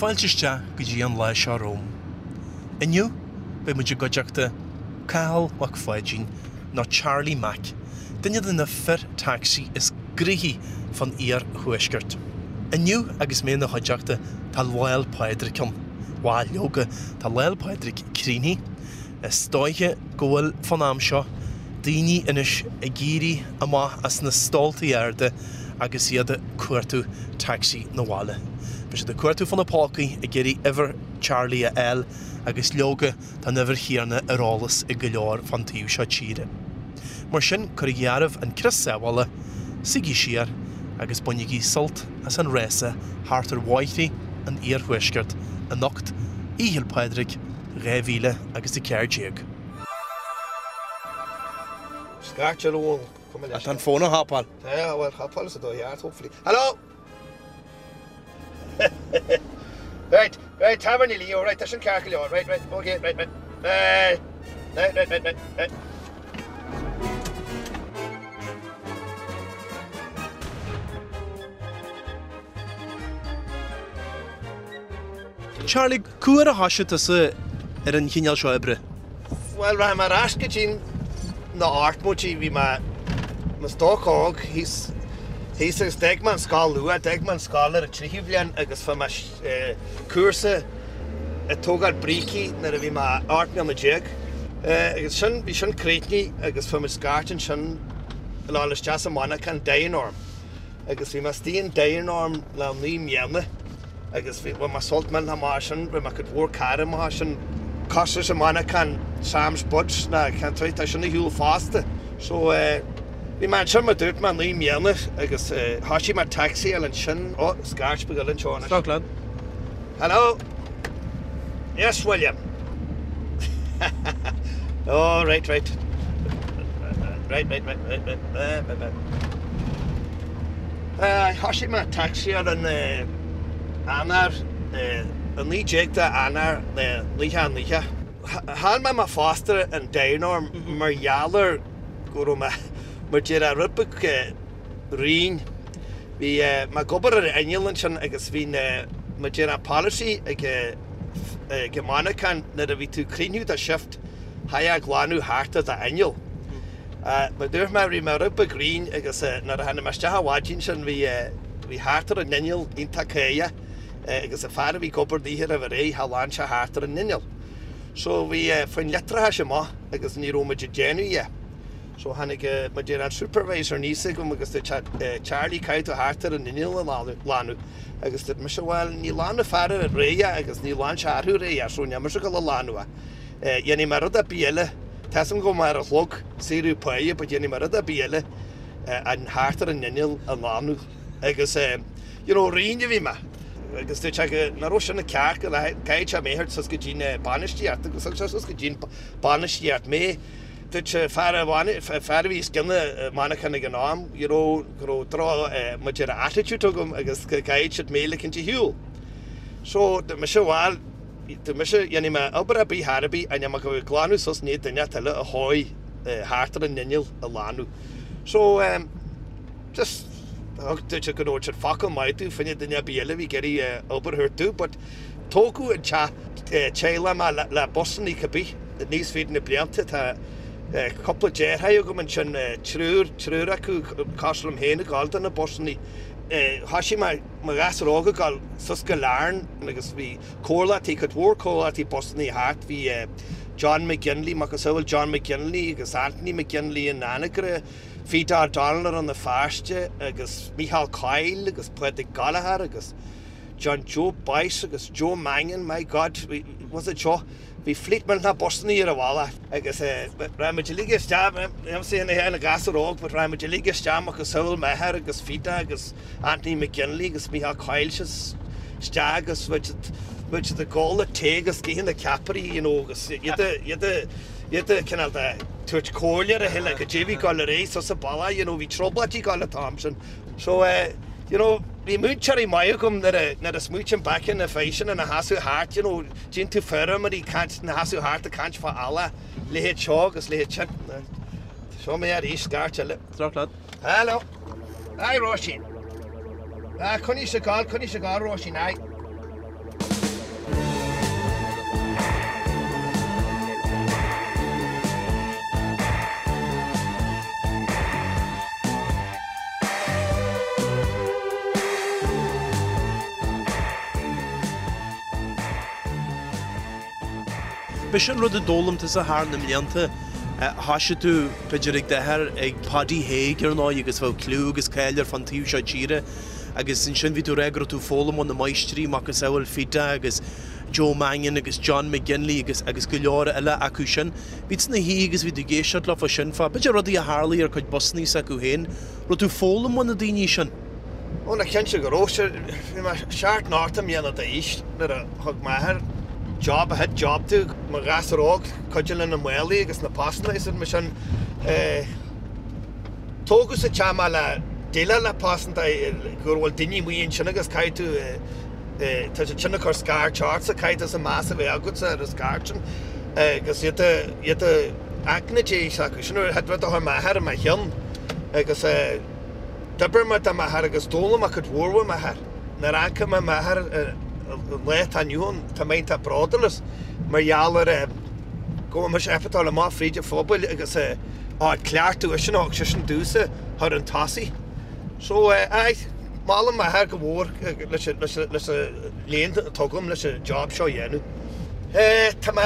Fáilte isteach go dtí an lá seo romham. Inniu beidh muid i gcuideachta Cathal Mac Pháidín nó Charlie Mac, duine de na fir tacsaí is gnoithí fán iar-thuaisceart. Inniu agus mé ina chuideachta tá Lá'l Pádraig ann. Bhal, leoga, tá Lá'l Pádraig críochnaithe. Is dóiche go bhfuil, fán am seo, daoine anois ag éirí amach as na stóltaí arda agus iad ag cuartú tacsaí 'na bhaile. Beidh siad ag cuartú fóna pócaí ag iarraidh uimhir Charlie a fháil agus leoga tá an uimhir chéanna ar eolas ag go leor fán taobh seo tíre. Mar sin, cuirigí oraibh an crios sábhála, suígí siar agus bainigí sult as an rása thart ar bhóithrí an iarthuaiscirt anocht, Oíche 'le Pádraig 2000 agus 14. Scairt ar fhón, cuma leis. Tá an fón á thapáil. Tá, bhuel, thapáil sa dóigh cheart, hopefully. Hello! Right, right, Tábhairne Leo, right, tá sin ceart go leor, right, right, okay, right, right, right, right, right, right, right, right. Charlie, cá huair a thoisigh tusa ar an chineál seo oibre? Bhuel, rachaidh mé ar ais go dtí na hochtóidí, bhí mé i mo stoc óg thíos, thíos agus d'fhág mé an scoil luath, d'fhág mé an scoil ar an tríú bhliain agus fuair mé cúrsa ag tógáil brící nuair a bhí mé 18 mbliana. Agus sin, bhí sin críochnaithe agus fuair muid scairt ansin le dhul isteach sa mhonarchan Dianorm agus bhí mé istigh in Dianorm le 9 mbliana. agus bhí, bhain mé sult millteanach amach as sin, rinne mé cuid mhór cara amach as sin. Cosúil leis an monarchan Sam's Buds ná ceann tuí, tá sin ar shiúl fosta. So eh, bhí mé ansin mar dúirt mé 9 mbliana agus eh, thoisigh mé taxi-áil ansin, oh, scairt beag eile anseo anois. Stop lad. Hello? Yes, William. oh, right, right. Right, right, right, right, right, right, right, right. Thoisigh mé taxi-áil in Eanáir, 19 de Eanáir 99. Chaill mé mo phost in Dianorm mar gheall ar go raibh mé, mar déarfá, rud beag righin. Bhí mé ag obair ar inneall ansin agus bhí na, mar déarfá, policy ag an monarchan nuair a bhí tú ag críochnú do shift, chaithfeá glanadh thart ar d'inneall. Mar dúirt mé, bhí mé rud beag righin agus nuair a tháinig mé isteach an mhaidin sin bhí bhí thart ar an inneall iontach cáidheach agus an fear a bhí ag obair an oíche roimh ré cha ghlan sé thart ar an inneall. So bhí faoin leictreachais amuigh agus ní raibh muid ag déanamh dhe. So tháinig mar déarfá an supervisor aníos chugam agus dúirt sé Charlie caithfidh tú thart ar an inneall a ghlanadh agus dúirt mise bhuel ní ghlan an fear aréir é agus ní ghlan sé arú aréir é so níl mise ag dul a ghlanadh é. Dhéanfaidh mé rud ar bith eile, tá 'fhios a'm go bhfuil mé ar an chlog, saoradh páighe, but dhéanfaidh mé rud ar bith eile an thart ar an inneall a ghlanadh. Agus you know, righin a bhí mé. Agus dúirt sé go nach raibh sin ceart go gcaithfeadh sé mé a thabhairt suas go dtí na bainistíocht agus thug sé suas go dtí an bainistíocht mé. Dúirt sé fear a fear a bhí os cionn an mhonarchan ag an am, you know, go raibh droch mar déarfá attitude agam agus go gcaithfeadh siad mé a ligint ar shiúl. So, dúirt mise, bhuel, Dúirt mise, dhéanfaidh mé obair ar bith thar ar bith, ach níl mé ag gabháil ag glanadh suas i ndiaidh duine eile a sháigh thart ar an inneall a ghlanadh. So, em, just, thug, dúirt siad go raibh siad focal maith domh, fá choinne duine ar bith eile a bhí ag iarraidh obair a thabhairt domh, but tógadh an teach, teaghlach mé le, le busannaí cibé, aníos fríd na blianta, tá cúpla deartháir agam ansin, triúr, triúr acu cosúil liom féin ag gabháil do na busannaí. Thoisigh mé mo ghasúr óg ag gabháil suas go Larne agus bhí comhlachtaí, cuid mhór comhlachtaí busannaí thart, bhí John McGinley, macasamhail John McGinley agus Anthony McGinley in Anagaire, Peter O'Donnell i Rann na Feirste agus Micheál Coyle agus Pádraig Gallagher agus John Joe Boyce agus Joe Mangan, my God, was it seo? Bhí fleet millteanach busannaí ar an bhealach agus raibh muid uilig isteach, nílimse ina ghasúr óg but raibh muid uilig isteach macasamhail m'athair agus Peter agus Anthony McGinley agus Micheál Coyle isteach agus bhí siad ag ól an tae agus ag ithe na ceapairí you know agus iad iad iad cineál de tabhairt comhairle ar a chéile goidé a bhí ag dul ar aghaidh suas an bealach you know bhí trioblóidí ag dul an t-am sin so eh you know bhí múinteoirí maith agam nuair a nuair a smaoitím back ar na fir sin ina sheasamh thart you know Tchíonn tú feirmeoirí ag caint, ina sheasamh thart ag caint fá eallach, leithéid seo agus leithéid sin. Seo mé arís, scairt eile. Droch lad. Hello. Aye, Róisín. Ah, coinnigh sa gcall, coinnigh sa gcall, Róisín, aye. B'é sin rud a d'fhoghlaim tusa thar na mblianta. Thoisigh tú, b'fhéidir, ag d'athair, ag Paddy Hague, ar ndóigh, agus bheadh cliú agus cáil air fán taobh seo tíre. Agus ansin bhí tú ag rá go raibh tú ag foghlaim ó na máistrí, macasamhail Fida agus Joe Mannion agus John McGinley agus agus go leor eile acu sin. Bhí tú ina shuí agus bhí tú ag éisteacht leofa sin fá, b'fhéidir rudaí a tharlaigh ar cuid busannaí s'acu féin. Raibh tú ag foghlaim ó na daoine sin? Ó na cinnte go raibh. Sure, bhí mé seacht nó ocht mbliana d'aois nuair a thug m'athair job, a chéad job domh, mo ghasúr óg, cuidiú le na málaí agus na postanna is mar sin. Tógadh sa teach mé le déileáil le postanna, go bhfuil daoine amuigh ansin agus caithfidh tú, tá siad sin ag cur scairt ortsa, caithfidh tusa meas a bheith agatsa ar an scairt sin agus iad iad aicne Dé s'acu sin rud a chuir m'athair i mo chionn agus d'oibir mé do m'athair agus d'fhoghlaim mé cuid mhór ó m'athair. Nuair a amharcaim ar m'athair an lá atá inniu ann, tá mé iontach bródúil as mar gheall ar go bhfuil mise ábalta dul amach fríd an phobail agus an cleachtadh sin a thug seisean domhsa a chur chun tosaigh. So, aye, molaim m'athair go mór leis an léann atá agam leis an job seo a dhéanamh. Tá mé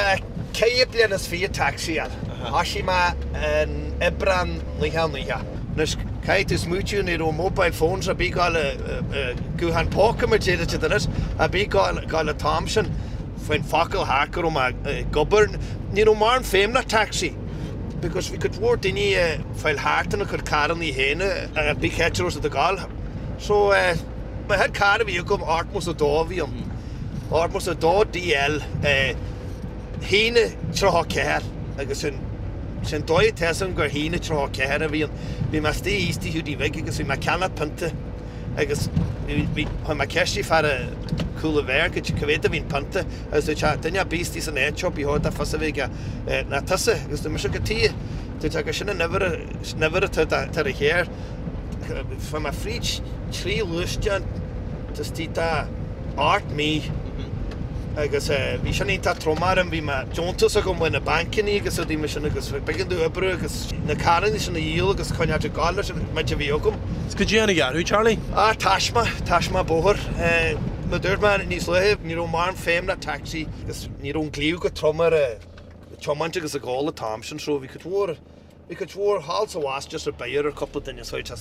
4 bliana is fiche ag tacsaíáil. Thoisigh mé in Aibreán 1990. Anois, caithfidh tú smaoitiú, ní raibh mobile phones ar bith ag gabháil, guthán póca mar déarfá siad anois, ar bith ag gabháil an t-am sin. Faoin focal thart go raibh mé ag obair, ní raibh mórán feidhm le taxi because bhí cuid mhór daoine ag fáil thart ina gcuid carrannaí féin ar bith cá háit a raibh siad ag gabháil. So, mo chéad carr a bhí agam, 82 a bhí ann. 82 DL, 1:34 agus sin, sin dóigh atá fhios agam gur 1:34 a bhí ann. Bhí mé istigh thíos Tigh Hiúdaí Bhig agus bhí mé ag ceannach pionta agus bhí, chuir mé ceist ar fear cúl an bheáir cá mhéad a bhí an pionta agus dúirt sé, duine ar bith istigh san áit seo, ba chóir dó fios a bheith aige ná tusa agus dúirt mise cad tuighe, dúirt sé gur sin an uimhir, an uimhir atá ar an charr. Fuair mé fríd thrí ghluaisteán istigh de 8 mí agus bhí sin iontach trom orm, bhí mé deontas agam ó na bancannaí agus rudaí mar sin agus b'éigean domh oibriú agus na carrannaí sin a dhíol agus coinneáilt ag gabháil leis an méid a bhí agam. Is cad é a tháinig orthu, Charlie? Ah, taisme, taisme bóthair. Mar a dúirt mé níos luaithe, ní raibh mórán feidhm le taxi agus ní raibh an glaoch go trom ar an tiomáint agus ag gabháil an t-am sin so bhí cuid mhór Bhí cuid mhór thall 's abhus just ar bith ar cúpla duine so tá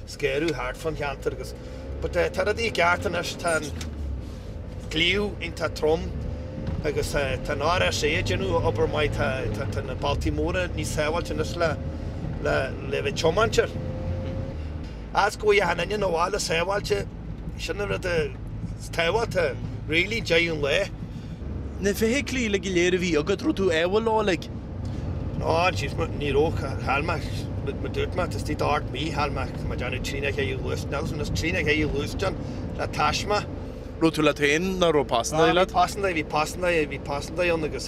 scaradh thart fán cheantar agus but tá rudaí i gceart anois tá an glaoch iontach trom agus tá an RSA ag déanamh obair maith tá tá na bealtaí móra níos sábháilte anois le le le bheith tiomáint air. As go bhfuil achan duine 'na bhaile sábháilte sin an rud is tábhachtaí really deireadh an lae. Na feithiclí uilig go léir a bhí agat, raibh tú ádhúil leo uilig? Ná, ní raibh, chaill mé, mar dúirt mé, istigh d'ocht mí, chaill mé, tá mé ag déanamh trí nó cheithre ghluaisteán, agus trí nó cheithre ghluaisteán le taisme. Raibh tú leat féin nó raibh pasandaí leat? Bhí pasandaí, bhí pasandaí, bhí pasandaí ann agus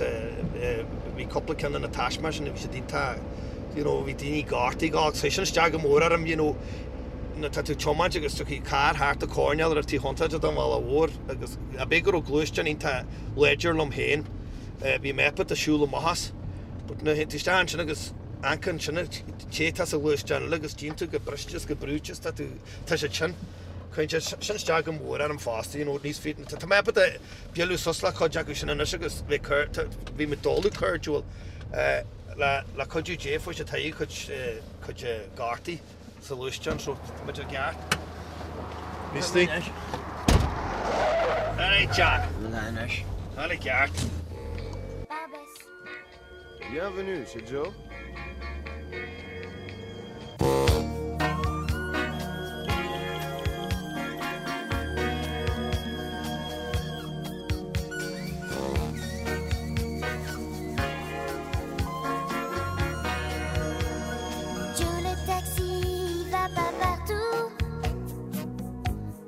bhí cúpla ceann de na taisme sin, bhí siad iontach, you know, bhí daoine gortaithe agus chuir sin isteach go mór orm, you know, nuair atá tú ag tiomáint agus tiocfaidh carr thart an choirnéal ar an taobh chontráilte den bhealach mhór agus ab é go raibh gluaisteán iontach láidir liom féin, bhí mé ábalta siúl amach as. But nuair a théann tú isteach ansin agus amharc ansin an té atá sa ghluaisteán eile agus tchíonn tú go briste is go brúite is tá tú, tá siad sin. Cuireann sé sin isteach go mór orm fosta, you know, níos fi, tá mé ábalta bualadh suas le cuid acu sin anois agus bheith cur, bhí mé dóladh cairdiúil le, le cuidiú Dé fuair siad togha cuid, cuid gortaí. sa ghluaisteán so tá muid i gceart. Misty. Alright John. Anois. Tá i gceart. Bienvenue chez Joe. Joe le taxi va pas partout.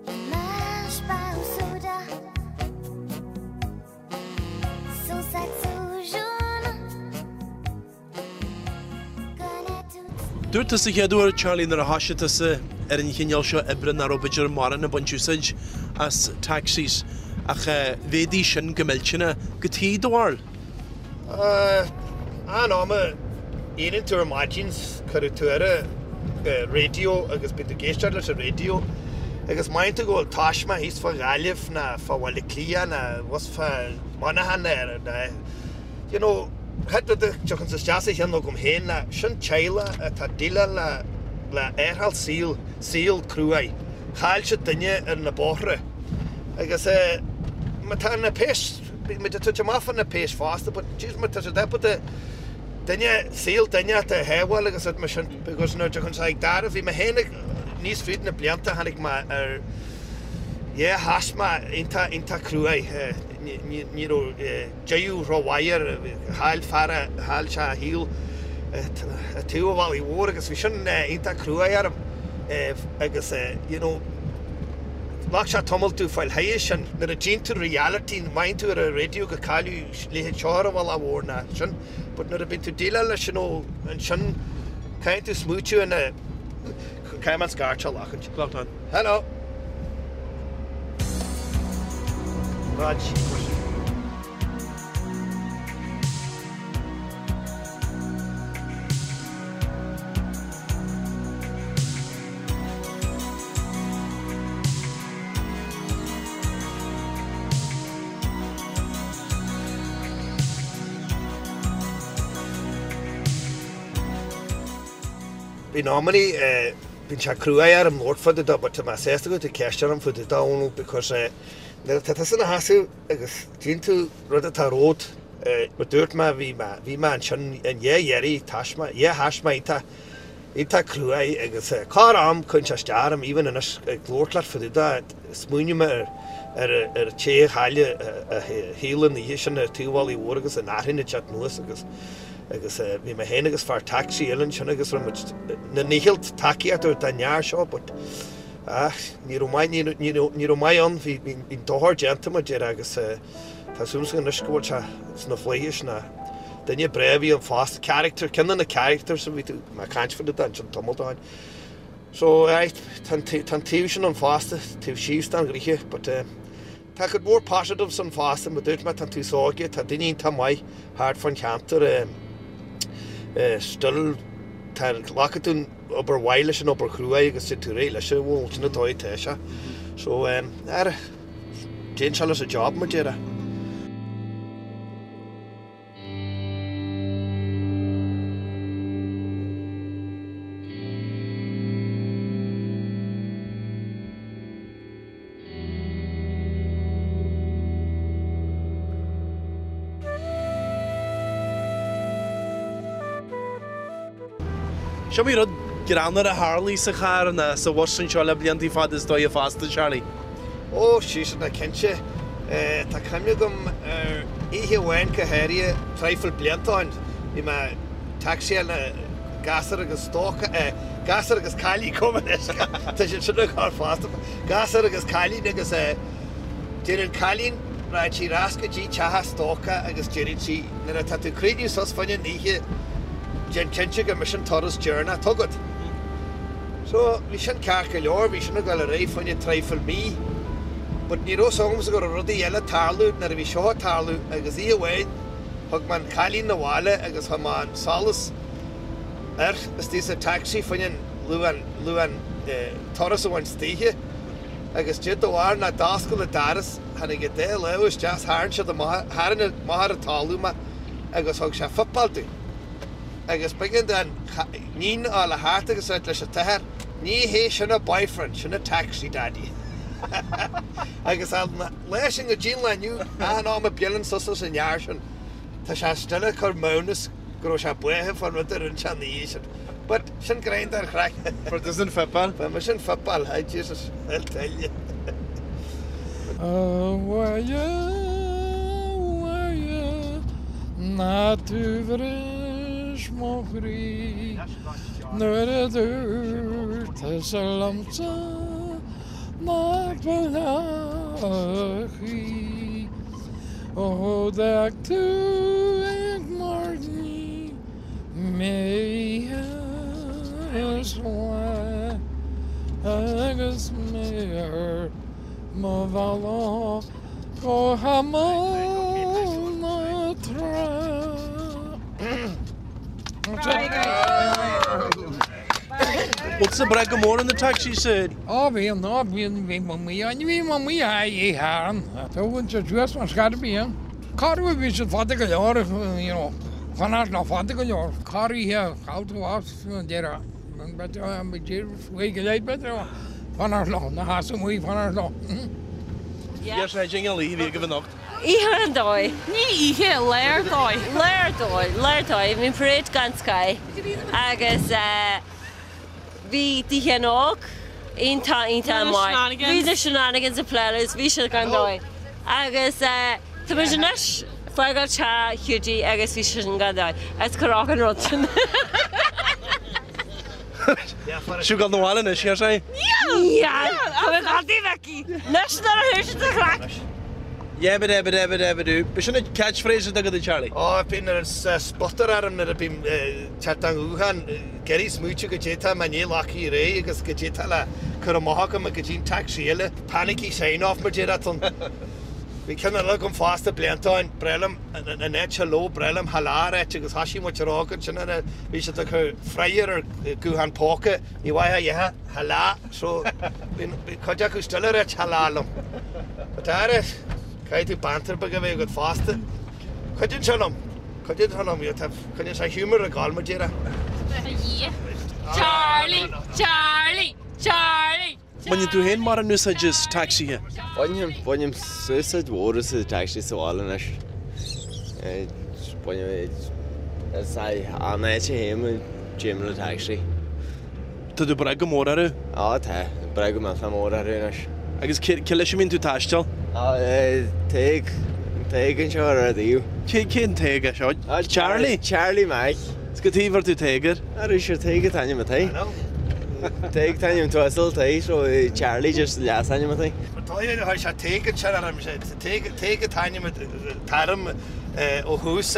Il marche pas au soda. Son saxo jaune connaît toutes Dúirt tú sa chéad uair, Charlie, nuair a thoisigh tusa ar an chineál seo oibre nach raibh b'fhéidir mórán ag baint úsáid as taxis ach mhéadaigh sin go millteanach. Cad é do bharúil. An am a éiríonn tú ar maidin cuireann tú ar an raidió agus bíonn tú ag éisteacht leis an raidió agus maíonn tú go bhfuil taisme thíos fá Ghaillimh ná fá Bhaile Átha Cliath ná abhus fá Mhuineachán ná. you know, chéad rud a thiocfann's isteach sa cheann agam féin ná sin teaghlach atá ag déileáil le le aithreáil saoil, saol cruaidh. Chaill siad duine ar na bóithre. Agus eh, má tá na péis, bíonn muid ag tabhairt amach fá na péis fosta, but jeez má tá siad ábalta duine, saol duine a shábháil agus rud mar sin, because nuair a thiocfann's ag Dara, bhí mé féin ag, níos fríd na blianta tháinig mé ar, yeah, thaisme iontach, iontach cruaidh. Ní raibh deireadh rómhaith air, chaill fear a, chaill sé a shaol i dtaobh an bhealaigh mhóir agus bhí sin iontach cruaidh orm agus you know ghlac sé tamall domh fáil thairis sin. Nuair a tchíonn tú reality, maíonn tú ar an raidió go cailleadh leithéid seo ar an bhealach mhór ná sin but nuair a bíonn tú déileáil leis you know ansin caithfidh tú smaoitiú ina Caithfidh mé an scairt a ghlacaint. Glac an. Hello. Raj. Bíonn amannaí, bíonn sé cruaidh orm labhairt fá dtaobh de but tá mé sásta go bhfuil tú ag ceistiú orm fá dtaobh de Dónal because nuair atá tusa ina sheasamh agus tchíonn tú rud atá romhat, mar dúirt mé bhí mé, bhí mé ansin an lá dheiridh, taisme, yeah thaisme iontach, iontach cruaidh agus corr am cuireann sé isteach orm even anois ag labhairt leat fá dtaobh de, smaoiním ar ar ar an té a chaill a shaol an oíche sin ar taobh an bhealaigh mhóir agus an fhearthainn ag teacht anuas agus Agus bhí mé féin agus fear taxi eile ansin agus raibh muid inár ndícheall tacaíocht a thabhairt don fhear seo but ah ní raibh maith, ní ní ní raibh maith ann, bhí bhí an dochar déanta mar a déarfá agus tá súil agam anois go bhfuil sé sna flaithis ná duine breá a bhí ann fosta, character, ceann de na characters a bhí tú ag caint faoi ansin tamall ó shin. So aye tá an tá an taobh sin ann fosta, taobh síos den ghnoithe but eh Tá cuid mhór positives ann fosta, mar dúirt mé, tá an t-aos óige, tá daoine iontach maith thart fán cheantar, still, tá, glacann tú an obair mhaith leis an obair chruaidh agus téann tú ar aghaidh leis, bhuel, sin an dóigh atá sé. So, ara, déanann sé leis an job, mar déarfá. Is iomaí rud greannmhar a tharlaigh sa charr nó sa bhus anseo le blianta fada is dóigh fosta, Charlie. Ó, sea, cinnte. Tá cuimhne agam ar oíche amháin go háirithe, traidhfil blianta ó shin. Bhí mé ag tacsaíáil na gasúr agus stócach, gasúr agus cailín gabh mo leithscéal, tá siad sin ag gabháil fosta, gasúr agus cailín agus deir an cailín, rachaidh sí ar ais go dtí teach a stócach agus déarfaidh sí, nuair atá tú ag críochnú suas fá choinne an oíche, déan cinnte gur mise an turas deireanach atá agat. So, bhí sin ceart go leor, bhí sin ag dul ar aghaidh fá choinne traidhfil mí. But ní raibh 's agamsa go raibh rudaí eile ag tarlú nuair a bhí seo ag tarlú agus oíche amháin thug mé an cailín 'na bhaile agus chuir mé an solas air istigh sa taxi fá choinne an luan, luan eh, turas a bhaint istoíche agus Dia do bharr ná d'oscail an doras, tháinig an dá lámh isteach 's tharraing siad amach, tharraing amach ar an talamh mé agus thug sé fuipeáil domh. Agus b'éigean don níon a fháil thart agus a rá leis an t-athair, Ní hé sin a boyfriend, sin a taxi daddy. Agus an lá sin go dtí an lá inniu, achan am a buaileann suas leis an fhear sin, tá sé still ag cur maothnas go raibh sé buartha fán rud a rinne sé an oíche sin. But sin greim den chraic. Fuair tusa an fuipeáil? Fuair mise an fuipeáil, hi Jesus, I'll tell you. Abhaile, abhaile, ná tú bhris mo chroí Nuair a dúirt tusa liomsa nach bhfillfeá choíche Ó d'fhág tú ag mairgní mé oíche is lá Agus mé ar mo bhealach go himeall na trá. Bhfuil tusa ag brath go mór ar na taxis? Ó bhíonn, ó bhíonn, bhí mé amuigh, bhí mé amuigh a oíche Shathairn. Tógann sé suas mar scata bíonn. Corruair bhí siad fada go leor, you know, fanacht leo fada go leor. Corroíche, chaill tú as an deireadh, b'fhéidir, go leith b'fhéidir, fanacht leo, na sheasamh amuigh fanacht leo. Yes, I jingle oíche bhí agaibh anocht. Oíche ar dóigh. Ní oíche, lá ar dóigh. Lá ar dóigh, lá ar dóigh. Bhí an parade gan scáth agus bhí Oíche na nÓg iontach, iontach maith. Bhí na shenanigans ag pléileadh is bhí siad gan dóigh. Agus tá muid anois ag fágáil teach Hiúdaí agus bhí sin gan dóigh. Agus chuir an rud sin. Sibh ag gabháil 'na bhaile anois, ar sé. Níl! Tá mé ag gabháil Mhicí. Anois nuair a chuaigh siad sa chraic. Yabba-dabba-dabba-dabba-doo. B'shin an catchphrase atá agat, a Charlie. Ó, bíonn ar an sputter orm nuair a bím teacht an ghutháin, ag iarraidh smaoitiú goidé tá mé i ndiaidh locthaí réidh agus goidé tá le cur amach agam go dtí an taxi eile. Panicky sign off mar déarfá ann. Bhí ceann eile agam fosta blianta ó shin, breá liom an áit hello, breá liom hello a ráit agus thoisigh muid a rá ansin ar a, bhí siad ag cur fryer ar guthán póca, ní mhaith a dhéanamh hello so bhí cuid acu still ag ráit hello liom. But ara, caithfidh tú banter beag a bheith agat fosta. Cuidíonn sé liom, cuidíonn sé liom, coinníonn sé humour ag gabháil mar déarfá. Charlie, Charlie, Charlie! Baineann tú féin mórán úsáid as tacsaithe? Bainim, bainim úsáid mhór as an taxi sa bhaile anois. Bainim, is an áit a théim, téim le taxi. Tá tú ag brath go mór orthu? Á tá, ag brath go millteach mór orthu anois. Agus cé leis a mbíonn tú ag taisteal? Á, Tadhg, Tadhg anseo ar an dtaobh. Cé, cén Tadhg é seo? Charlie? Charlie Mac. Is cad chuige a bhfuair tú Tadhg air? Arís ar Tadhg an t-ainm atá air. Tadhg t-ainm uasal Tadhg so Charlie just leasainm atá air. Tá chuir sé Tadhg ansin orm, Tadhg an t-ainm atá orm ó thús.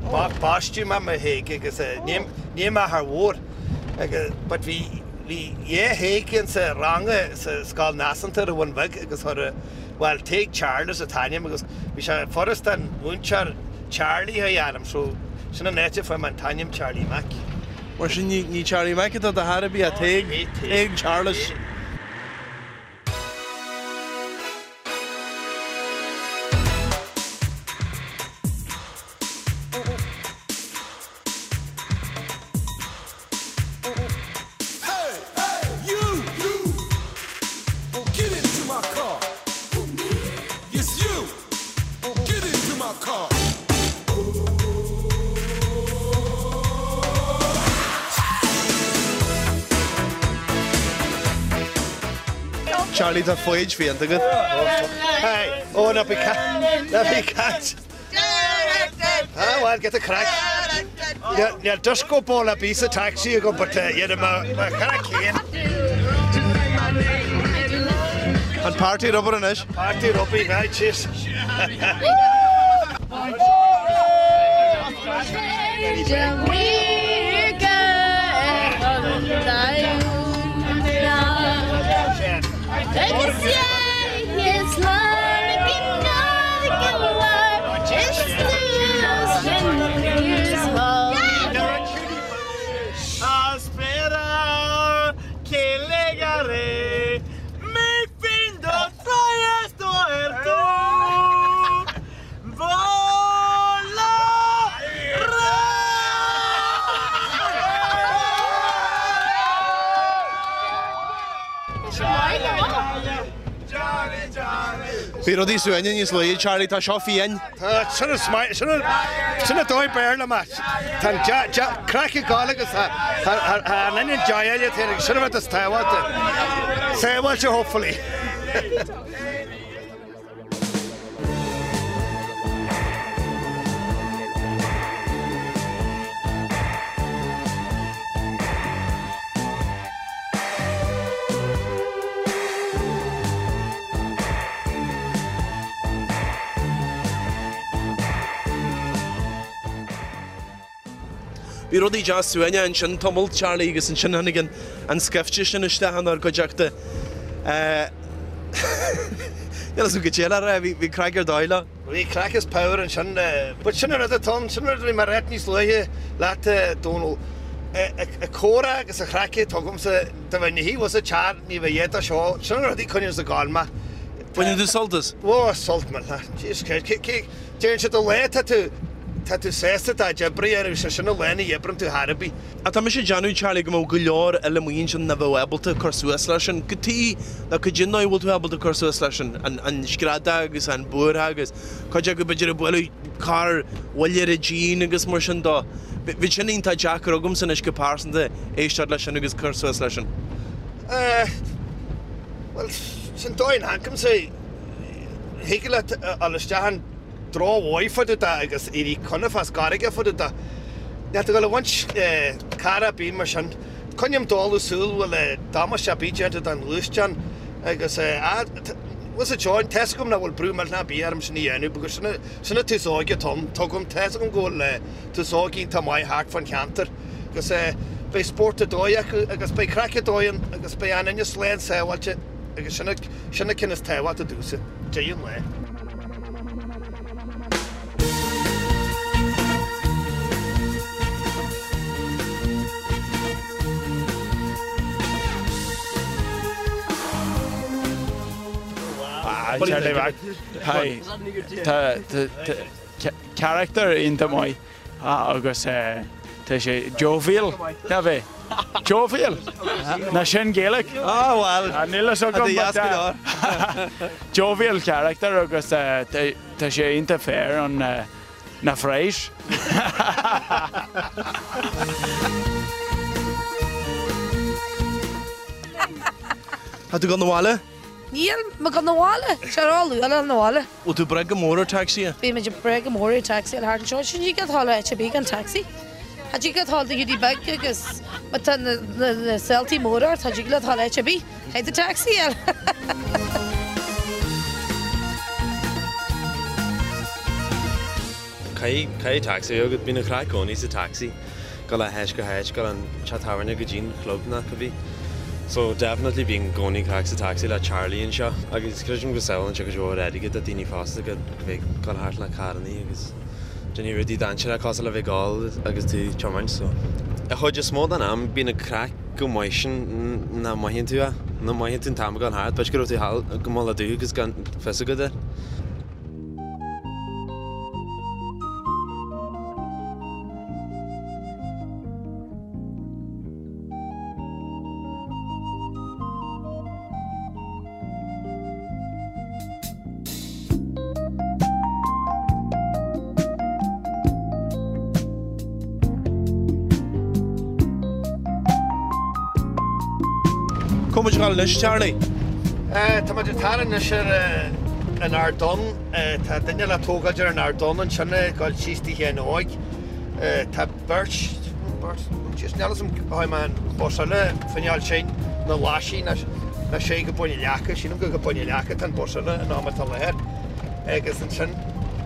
Baisteadh mé mar Thaidhg agus ní m'athair mhór but bhí bhí dhá Thaidhg insa rang sa scoil náisiúnta ar an Bhun Bheag agus chuir bhuel Tadhg Charles an t-ainm agus bhí sé furast don mhúinteoir Charlie a ainm so sin an áit a fuair mé an t-ainm Charlie Mac. Mar sin ní Charlie Mac atá do chor ar bith ach Tadhg, Tadhg Charles. Charlie tá foighid fiánta agat. Hey, oh ná bí ná bí caint. Ah well, get the craic. Níl disco ball ar bith sa taxi agam but dhéanfaidh mé mo chraic féin. An party rubber anois. Party rubber, right, cheers. Espera que llegaré mi fin do esto er tú Bhí rudaí suain níos luaithe, Charlie, tá seo fiáin. Tá, sin an smaoineamh, sin an, sin an dóigh Béarla, Matt. Tá an dea, dea, craic ag gabháil agus tá, tá, tá an inneall dea-áille féin agus sin an rud is tábhachtaí. Sábháilte, hopefully. Bhí rudaí deas suaimhneach ansin tamall, Charlie, agus ansin tháinig an scaifte sin isteach inár gcuideachta. Níl a fhios agam cad é le rá, bhí craic ar dóigh leo. Bhí craic is power ansin. But sin an rud atá ann, sin an rud a bhí mé a ráit níos luaithe leat, a Dónall. An comhrá agus an chraic atá agamsa, dá mbeinn ina shuí thuas sa teach, ní bheadh a dhath de seo, sin an rud a choinneos ag gabháil mé. Baineann tú sult as? Ó, sult millteach. Jesus Christ, cé, cé, deireann siad an lá tá tú, tá tú sásta do chuid oibre a dhéanamh, sé sin an lá ní oibreann tú chor ar bith. Ach tá mise ag déanamh, Charlie, go mbeadh go leor eile amuigh ansin nach bheadh ábalta cur suas leis sin. Cad chuige nó cad é an dóigh a bhfuil tú ábalta cur suas leis sin, an screadach agus an buartha agus cuid acu b'fhéidir ag bualadh carr bhuille ar a dtinn agus mar sin dó. Bheadh sin iontach deacair agamsa anois go pearsanta éisteacht leis sin agus cur suas leis sin. Bhuel, sin dóigh an amharcaimse, thig leat a dhul isteach an drochmhaith fá dtaobh de agus éirí cuimhneamh as gairge fá dtaobh de. Níl tú ag dul a bhaint cara ar bith mar sin. Coinním dáileadh súil bhfuil damáiste ar bith déanta don ghluaisteán agus bhfuil a fhios agat, tá's agam nach bhfuil brú millteanach ar bith orm sin a dhéanamh because sin sin an tús óige atá ann. Tuigim, tá's agam go bhfuil tús óige iontach maith thart fán cheantar agus beidh spórt ar dóigh acu agus beidh craic ar dóigh ann agus beidh an duine slán sábháilte agus sin sin an ceann is tábhachtaí domhsa, deireadh an lae. Hi. Tá character iontach maith agus tá sé jovial, ná bheith? Jovial? Ná sin Gaeilge? Ah bhuel, Níl fhios agam but jovial character agus tá sé iontach fair on na phraghas. Tá tú ag dul 'na bhaile? Níl mé ag dul 'na bhaile. Sé ró-luath le dul 'na bhaile. Bhfuil tú ag brath go mór ar tacsaithe? Bhí muid ag brath go mór ar tacsaí thart anseo. Sin ní go dtáil áit ar bith gan tacsaí. Tá dtig leat dul do Hiúdaí Beag agus má tá na saoltaí móra ort, tá dtig leat dul áit ar bith. Caithfidh tú tacsaí a fháil. Caithfidh tacsaí a bheith agat. Bíonn an chraic i gcónaí sa tacsaí. Dul ó háit go háit, dul ón teach tábhairne go dtí'n chlub nó cibé. So definitely bíonn i gcónaí craic sa tacsaí le Charlie anseo. Agus creidim go sábhálann sé cuid mhór airgid do daoine fosta go bheith ag dul thart le carrannaí agus déanamh rudaí dainséarach cosúil le bheith ag ól agus tú ag tiomáint so. An chuid is mó den am bíonn an craic chomh maith sin nach mothaíonn tú é, nach mothaíonn tú an t-am ag dul thart, b'fhéidir go raibh tú thall go Mullach Dubh agus gan fios agat é. Cá bhfuil muid ag dul anois, Charlie? Tá muid ag tarraingt anois ar an Ardán. Tá duine le tógáil ar an Ardán ansin ag dul síos Tigh Sheáin Óig. Tá beirt, beirt, just níl 'fhios a'm tháinig mé an bus eile fineáil sin na laisí na na sé go Bun an Leaca, sílim gur go Bun an Leaca tá an bus eile in am atá láthair. Agus ansin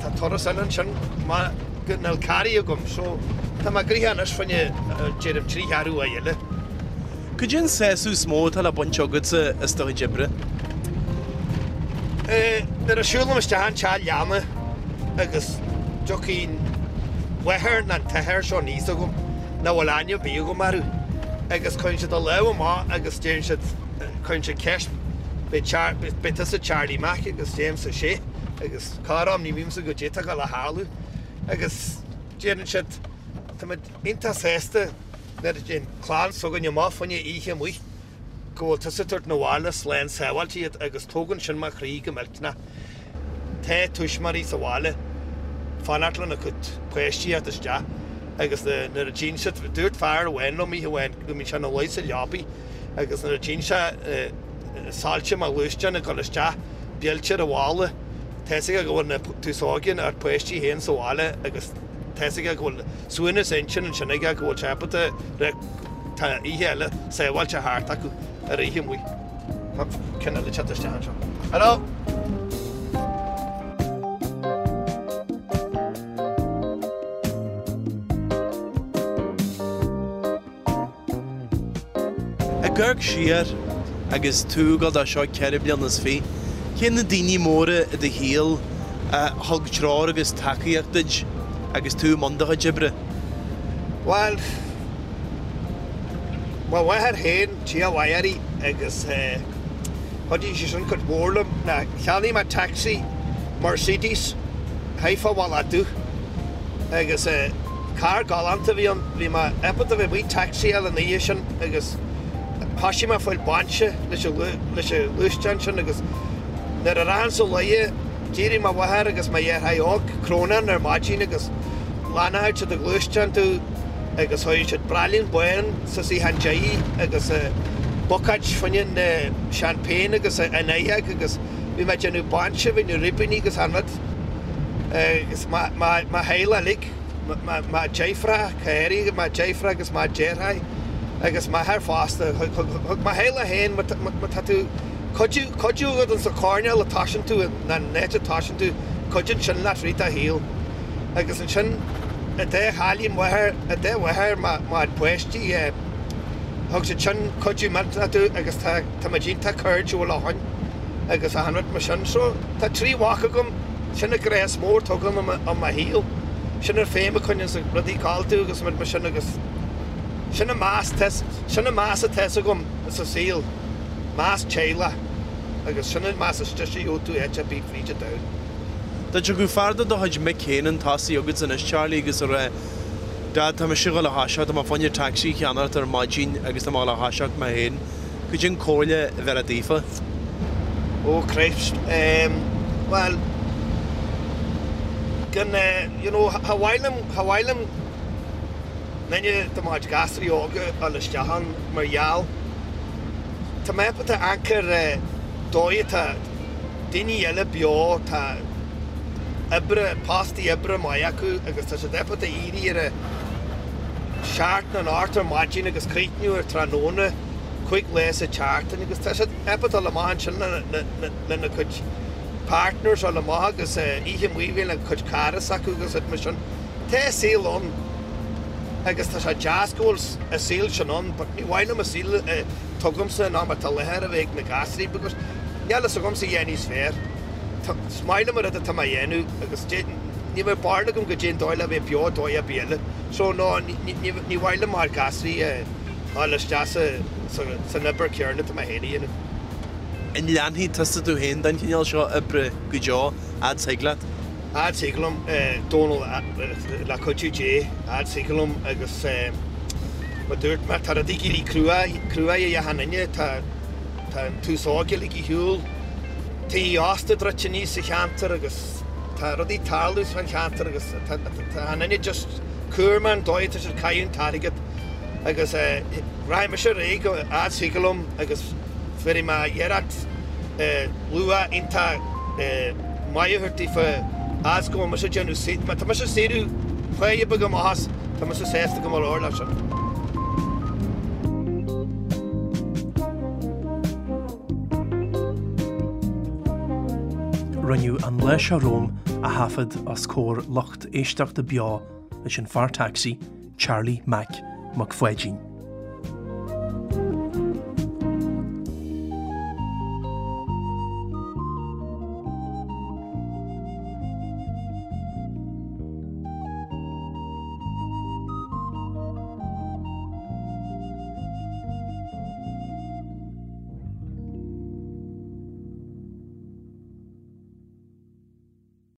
tá turas eile ansin má go níl carraí agam so tá mé gnoitheach anois fá choinne déarfainn 3 cheathrú uair eile. Cad é an sásamh is mó atá le baint agatsa as do chuid oibre? Nuair a siúlaim isteach an teach leanna agus tiocfaidh an mháthair nó an t-athair seo aníos chugam nach bhfuil aithne ar bith agam orthu agus cuireann siad a lámh amach agus deireann siad, cuireann siad ceist, beidh tusa Charlie Mac agus deirimse sea agus corr-am ní bhímse goidé atá ag dul a tharlú agus deireann siad táimid iontach sásta Nuair a théann clann s'againne amach fá choinne oíche amuigh, go bhfuil tusa ag tabhairt 'na bhaile slán sábháilte iad agus tógann sin mo chroí go millteanach. Tá tuismitheoirí sa bhaile fanacht lena gcuid páistí a theacht isteach agus nuair a tchíonn siad, dúirt fear amháin liom oíche amháin go mbíonn sé ina luí sa leabaidh agus nuair a tchíonn sé soilse mo ghluaisteáin ag dul isteach, buailte ar an bhalla, tá's aige go bhfuil na tús óige a pháistí féin sa bhaile agus. Tá's aige go bhfuil suaimhneas intinn ansin aige go bhfuil sé ábalta tá oíche eile sábháilte thart acu ar oíche amuigh. Tá ceann eile ag teacht isteach anseo. Hello! Ag amharc siar agus tú ag dul dó seo 24 bliana, cé na daoine móra i do shaol a thug treoir agus tacaíocht duit agus tú i mbun do chuid oibre? Bhuel, mo mháthair féin, Dia a mhaith uirthi, agus. Chuidigh sé sin cuid mhór liom. Ná cheannaigh mé taxi Mercedes Haifa Waladu agus carr galánta a bhí ann. Bhí mé ábalta bheith amuigh taxi-áil an oíche sin agus thoisigh mé ag fáil bainte leis an ghluaisteán sin agus nuair a rachainn sa luaithe d'éirigh mo mháthair agus mo dheartháir óg crónán ar maidin agus lannáil siad an gluaisteán domh agus chuir siad braillín bán sa suíochán deiridh agus bucáid fá choinne champagne agus an oidheag agus bhí mé ag déanamh bainse, bhí na ribíní agus an rud agus mo theaghlach uilig, mo dheirfiúr, Cary, mo dheirfiúr agus mo dheartháir agus m'athair fosta. Thug mo theaghlach féin, má tá tú, cuidiú, cuidiú agat insa choirnéal a toisíonn tú, nó an áit a toisíonn tú, cuidíonn sin leat rith do shaoil. Agus ansin, an dá chailín mháthair, an dá mháthair mo pháistí, thug siad sin cuidiú millteanach domh agus tá, tá muid iontach cairdiúil ó shoin agus achan rud mar sin. So, tá 3 mhac agam, sin an grá is mó atá agam i mo shaol. Sin an féim a choinníonn rudaí ag gabháil domh agus rud mar sin agus sin an meas, sin an meas atá agam sa saol, meas teaghlach agus sin an meas is deise a gheobhaidh tú áit ar bith fríd an domhan. Dá dtiocfadh fear de do chuid mic féin chun tosaigh agat anois, Charlie, agus a rá, Dad, tá mise ag dul a thoiseacht, tá mé fá choinne tacsaí a cheannacht ar maidin agus tá mé ag dul a thoiseacht mé féin. Cad é an comhairle a bheirfeá daofa? Oh Christ, ehm, bhuel, gan, you know, cha mhaith liom, cha mhaith liom duine de mo chuid gasraí óga a dhul isteach ann mar gheall, tá mé ábalta amharc ar dóigh atá, daoine eile beo, tá oibre, postaí oibre maith acu agus tá siad ábalta éirí ar a seacht nó an ocht ar maidin agus críochnú ar tráthnóna 5 lá sa tseachtain agus tá siad ábalta dul amach ansin lena gcuid partners dul amach agus oíche amuigh lena gcuid cara s'acu agus rud mar sin. Tá saol ann agus tá sé deas go bhfuil an saol sin ann but ní mhaith liom an saol atá agamsa ná mar atá láthair a bheith ag na gasraí because níl a fhios agamsa a dhath níos fearr. Is maith liom an rud atá mé a dhéanamh agus ní bheadh barúil agam goidé an dóigh le bheith beo dóigh ar bith eile. So no, ní mhaith liom mar gasraí a dhul isteach san obair chéanna atá mé féin a dhéanamh. An leanfaidh tusa tú féin den chineál seo oibre go deo, fhad 's thig leat? Fhad 's thig liom, Dónal, le cuidiú Dé, fhad 's thig liom agus mar dúirt mé, tá rudaí ag éirí crua, crua ag achan duine, tá an t-aos óg uilig ar shiúl, tithe ósta druidte aníos sa cheantar agus tá rudaí ag tarlú san cheantar agus tá achan duine just cúramach an dóigh atá siad ag caitheamh an t-airgead agus rachaidh mise ar aghaidh fhad 's thig liom agus bhéarfaidh mé iarracht luach iontach maith a thabhairt daofa fhad 's go bhfuil mise ag déanamh, má tá mise ag saothrú páighe beag amach as, tá mise sásta go leor leis sin. Rinneadh an lá seo romham a thaifead os comhair lucht éisteachta beo leis an fear tacsaí Charlie Mac Mac Pháidín.